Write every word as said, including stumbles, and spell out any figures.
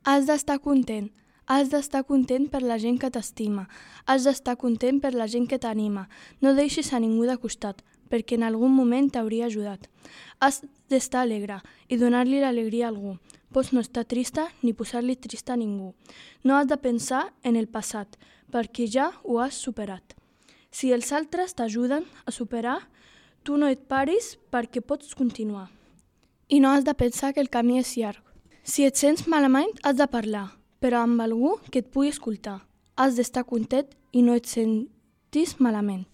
Has d'estar content. Has d'estar content per la gent que t'estima. Has d'estar content per la gent que t'anima. No deixis a ningú de costat, perquè en algun moment t'hauria ajudat. Has d'estar alegre i donar-li l'alegria a algú. Pots no estar trista ni posar-li trista a ningú. No has de pensar en el passat, perquè ja ho has superat. Si els altres t'ajuden a superar, tu no et paris perquè pots continuar. I no has de pensar que el camí és llarg. Si et sents malament, has de parlar, però amb algú que et pugui escoltar. Has d'estar content i no et sentis malament.